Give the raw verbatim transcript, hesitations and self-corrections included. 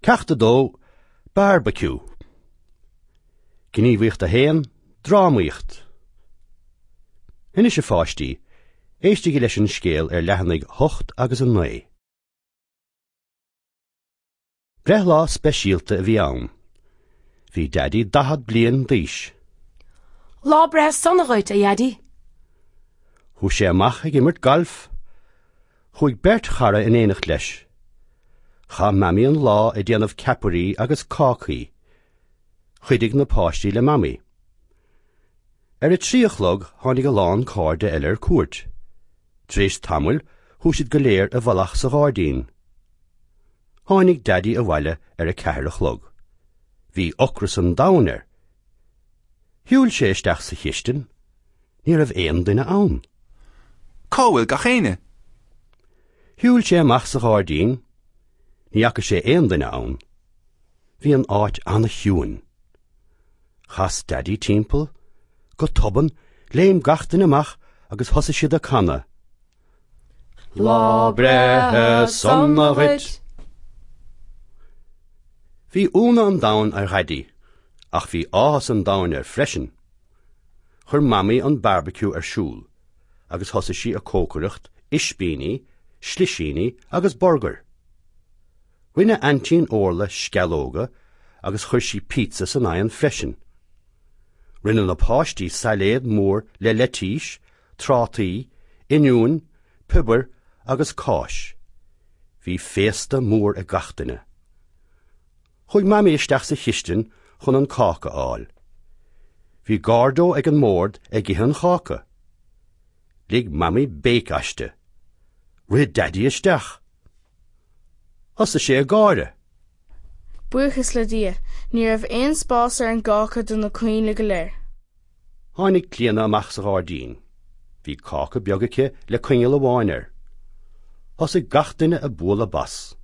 Ceacht a dó, Beárbaiciú. Gníomhaíocht a haon, Drámaíocht. Anois a pháistí, éistigí leis an scéal ar leathanaigh hocht agus a naoi. Breithlá speisialta a bhí ann. Bhí Daidí daichead bliain d'aois. Lá breithe sona dhuit, a Dhaidí. Chuaigh sé amach ag imirt gailf. Chuaigh beirt chara in éineacht leis. Chaith Mamaí an lá ag déanamh ceapairí agus cácaí. Chuidigh na páistí le Mamaí. Ar a trí a chlog tháinig a lán cairde eile ar cuairt. Tar éis tamaill chuaigh siad go léir i bhfolach sa ghairdín. Tháinig Daidí abhaile ar a ceathair a chlog. Bhí ocras an domhain air. Shiúil sé isteach sa chistin. Ní raibh aon duine ann. Cá bhfuil gach éinne? Shiúil sé amach sa ghairdín. Ní fhaca sé aon duine ann. Bhí an áit an-chiúin. Chas Daidí timpeall, go tobann, léim gach duine amach agus thosaigh siad ag canadh. Lá breithe sona dhuit. Bhí ionadh an domhain ar Dhaidí, ach bhí áthas an domhain air freisin. Chuir Mamaí an barbecue ar siúl, agus thosaigh sí ag cócaireacht ispíní, slisíní agus burgair. Rinne Aintín Orla sceallóga agus chuir sí pizza san oigheann freisin. Rinne na páistí sailéad mór le leitís, trátaí, oinniúin, piobar agus cáis. Bhí féasta mór ag gach duine. Chuaigh Mamaí isteach sa chistin chun an cáca a fháil. Bhí Gordo ag an mbord ag ithe an cháca. Lig Mamaí béic aisti. Rith Daidí isteach. Thosaigh sé ag gáire. Buíochas le Dia, ní raibh aon spás ar an gcáca do na coinnle go léir. Tháinig Clíona amach sa ghairdín. Bhí cáca beag aici le coinneal amháin air. Thosaigh gach duine ag bualadh bos.